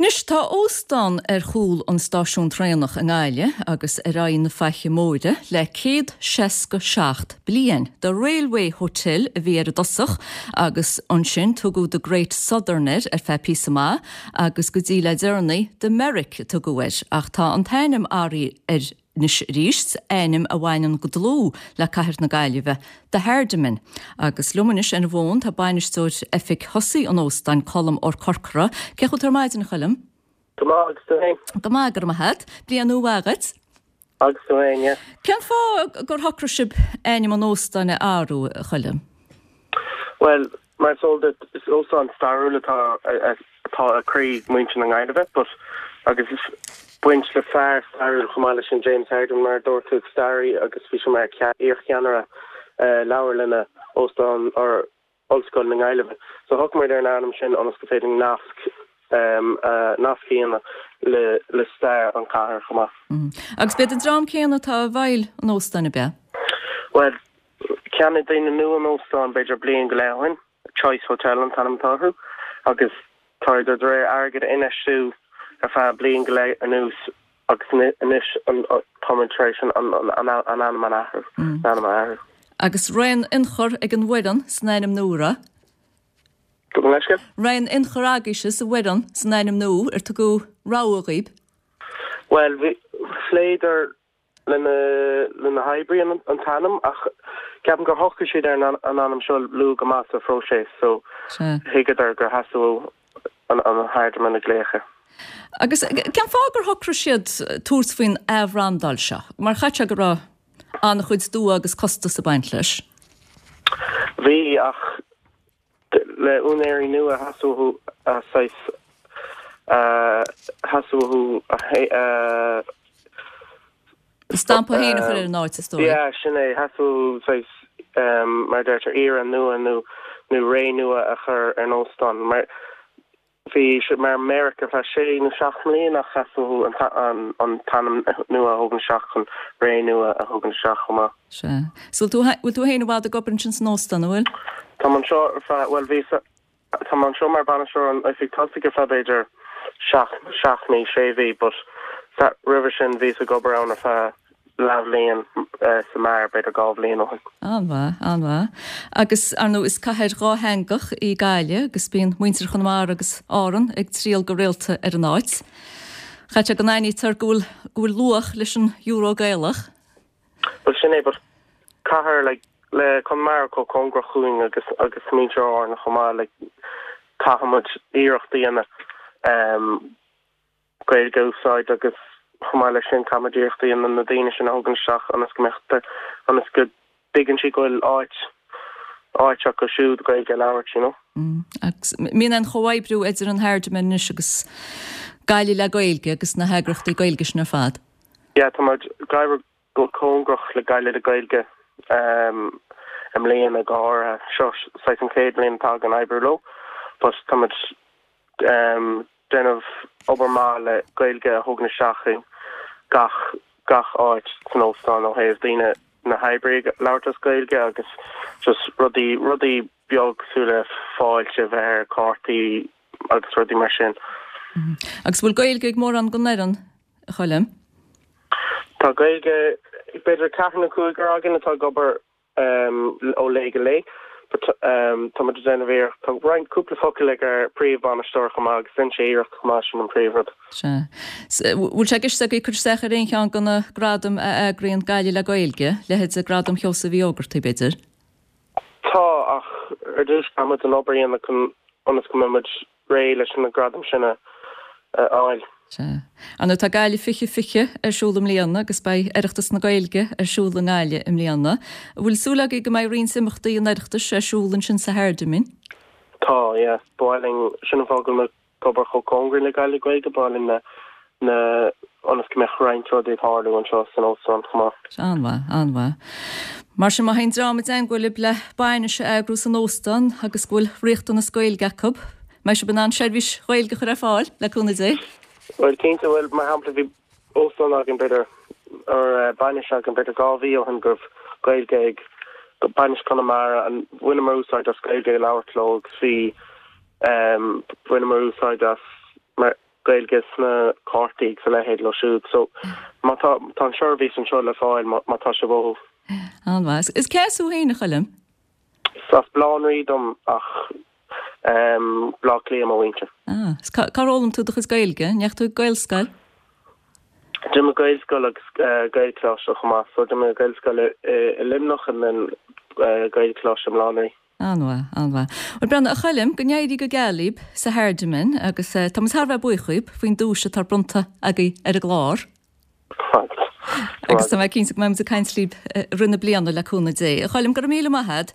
Anois, tá óstán ar chúl an stáisiún traenach i nGaillimh agus ar aghaidh na Faiche Móire le 167 bliain. The Railway Hotel a bhí air i dtosach agus ansin tugadh The Great Southern air ar feadh píosa maith agus go dtí le deireanaí The Merrick a tugadh air ach tá an t-ainm athraithe air anois arís, ainm a bhaineann go dlúth le cathair na Gaillimhe, The Hardiman. Agus liom anois ar an bhfón tá bainisteoir oifig thosaigh an óstáin, Colm Ó Corcora. Cén chaoi a bhfuil tú ar maidin, a Choilm? Go maith, agus tú féin? Go maith, go raibh maith agat. Bliain nua mhaith dhuit. Agus tú féin, yeah. Cén fáth gur shocraigh sibh ainm an óstáin a athrú, a Choilm? Bhuel, Mar is eol duit, is óstán stairiúil atá atá i gcroí muintir na Gaillimhe, but agus baint le fear stairiúil chomh maith leis sin, James Hardiman, mar a dúirt tú, staraí agus bhí sé mar iarcheannaire leabharlainne óstán or Ollscoil na Gaillimhe. So shocraigh muid ar an ainm sin ionas go féidir nasc nasc a dhéanamh le le stair an chathair chomh maith. Agus b'iad an dream céanna atá i bhfeighil an óstáin, ab ea? Bhuel, Cheannaigh daoine nua an óstán b'fhéidir bliain go leith ó shin, Choice Hotel an t-ainm atá orthu, agus tá siad tar éis airgead a infheistiú ar feadh bliain go leith anuas agus anois tá muid tar éis an ainm a athrú, an ainm a athrú. Agus raibh aon ionchur ag an bhfoireann san ainm nua, raibh? Gabh mo leithscéal? Raibh aon ionchur agaibhse sa bhfoireann san ainm nua, ar tugadh rogha dhaoib? Bhuel, bhí, phléadar le na hoibrithe an t-ainm ach ceapaim gur shocraigh siad ar an ainm seo luath go maith sa phróiseas so thuigeadar gur theastaigh uathu an Hardiman a ghlaoch air. Agus cén fáth gur shocraigh siad tabhairt faoin athbhrandáil seo? Mar chaithfidh sé go raibh an-chuid dua agus costas ag baint leis. Bhí ach Le úinéirí nua theastaigh uathu saghas theastaigh uathu a. A stampa féin a chur ar an áit, is dóigh. Yeah, sin é. Theastaigh uathu saghas mar a deirtear era nua nó nó ré nua a chur ar an óstán. Mar Bhí sé mar Merrick ar feadh sé nó seacht mbliain ach theastaigh uathu an t-ainm nua a thógaint isteach chun ré nua a thógaint isteach chomh maith. Sea. So bhfuil tú, bhfuil tú féin i bhfad ag obair ansin san óstán, an bhfuil? Táim anseo ar feadh, bhuel bhíos, táim anseo mar bainisteoir an oifig tosaigh ar feadh b'fhéidir seacht, seacht mí, sé mhí but roimhe sin bhíos ag obair ann ar feadh leathbhliain sa mbeár, b'fhéidir 2 bhliain ó shin. An-mhaith, an-mhaith. Agus, ar ndóigh, is cathair dhátheangach í Gaillimh agus bíonn muintir Chonamara agus Árann ag triall go rialta ar an áit. Chaithfeadh sé go n-aithnítear go bhfuil, go bhfuil luach leis an euro Gaelach. Bhuel, sin é, but cathair like le Conamara chomh cóngarach chugainn agus, agus muintir Árann chomh maith, like caithfimid iarracht a dhéanamh um, Gaeilge a úsáid agus chomh maith leis sin caithfimid iarracht a dhéanamh na daoine sin a thógaint isteach ionas go mbeadh ionas go dtuigeann siad go bhfuil áit áit acu siúd Gaeilge a labhairt you know. Agus mbíonn aon chomhoibriú idir an Hardiman anois agus Gaillimh le Gaeilge agus na heagraíochtaí Gaeilge sin ar fad? Yeah tá muid ag oibriú go cóngarach le Gaillimh le Gaeilge i mbliana go háirithe. Seo saghas an chéad bhliain atá againn oibriú leo but tá muid déanamh obair maith le Gaeilge a thógaint isteach i gach gach áit san óstán ó thaobh daoine na hoibrithe ag labhairt as Gaeilge agus just rudaí rudaí beag cosúil le fáilte a bheith ar cártaí agus rudaí mar sin. Agus bhfuil Gaeilge ag mórán den fhoireann, a Choilm? Tá Gaeilge ag b'fhéidir ceathrar nó cúigear againn atá ag obair ó lae go lae. But tá muid ag déanamh iarracht. Tá roinnt cúpla focal ag ár príomhbhainisteoir chomh maith agus déanann sé iarracht chomh maith, sin an príomhrud. Sea. Bhfuil sé i gceist agaibh cur isteach ar aon cheann de na gradaim a eagraíonn Gaillimh le Gaeilge, leithéide Gradam Sheosaimh Uí Ógartaigh, b'fhéidir? Tá, ach ar dtús caithfimid an obair a dhéanamh chun ionas go mbeidh muid réidh leis na gradaim sin a fháil. Sea. Ar ndóigh tá Gaillimh 2020 ar siúl i mbliana agus beidh Oireachtas na Gaeilge ar siúl i nGaillimh i mbliana. An bhfuil súil agaibh go mbeidh roinnt imeachtaí an Oireachtais ar siúl ansin sa Hardiman? Tá, yeah. Ba mhaith linn, sin an fáth go bhfuil muid ag obair chomh cóngarach le Gaillimh le Gaeilge, ba mhaith linn na, na, ionas go mbeadh roinnt rudaí ag tarlú anseo san óstán chomh maith. An-mhaith, an-mhaith. Mar sin má théann dream i dteangmháil libh le bainis a eagrú san óstán agus go bhfuil riachtanas Gaeilge acu, mbeidh sibh in ann seirbhís Ghaeilge a chur ar fáil, le cúnamh Dé? Bhuel, cinnte, bhuel, mar shampla, bhí óstán againn, b'fhéidir, or bainis againn, b'fhéidir 2 mhí ó shin go raibh Gaeilge ag bainis Chonamara, and bhaineamar úsáid as Gaeilge ag labhairt leo agus bhí, bhaineamar úsáid as, mar. Gaeilge sna cártaí agus a leithéid leo siúd. So má tá, tá an seirbhís anseo le fáil má, má tá sibh uathu. An-mhaith. Is cé as thú féin, a Choilm? Is as Baile Átha an Rí dom ach Baile Átha Cliath mo mhuintir. Ah, is cár fhoghlaim tú do chuid Gaeilge? An ndeachaigh tú ag Gaelscoil? D'imigh mé Gaelscoil agus Gaelcholáiste chomh maith. So d'imigh mé Gaelscoil i Luimneach and then Gaelcholáiste i mBaile Átha an Rí. An-mhaith, an-mhaith. Bhuel, breathnaigh, a Choilm, go n-éirí go geal libh sa Hardiman agus tá muid thar a bheith buíoch dhaoib faoin duais atá bronnta agaibh ar an gclár. Agus tá mé cinnte go mbeidh muid ag caint libh i rith na bliana le cúnamh Dé. A Choilm, go raibh míle maith agat.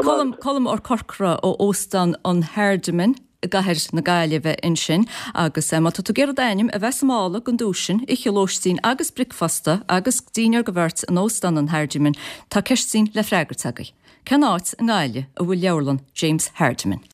Colm, Colm Ó Corcora ó Óstán an Hardiman i gcathair na Gaillimhe ansin. Agus má tá tú ag iarraidh d'ainm a bheith sa mála don duais sin, oíche lóistín agus bricfeasta agus dinnéar do bheirt in Óstán an Hardiman, tá ceistín le freagairt agaibh. Cén áit i nGaillimh a bhfuil leabharlann James Hardiman?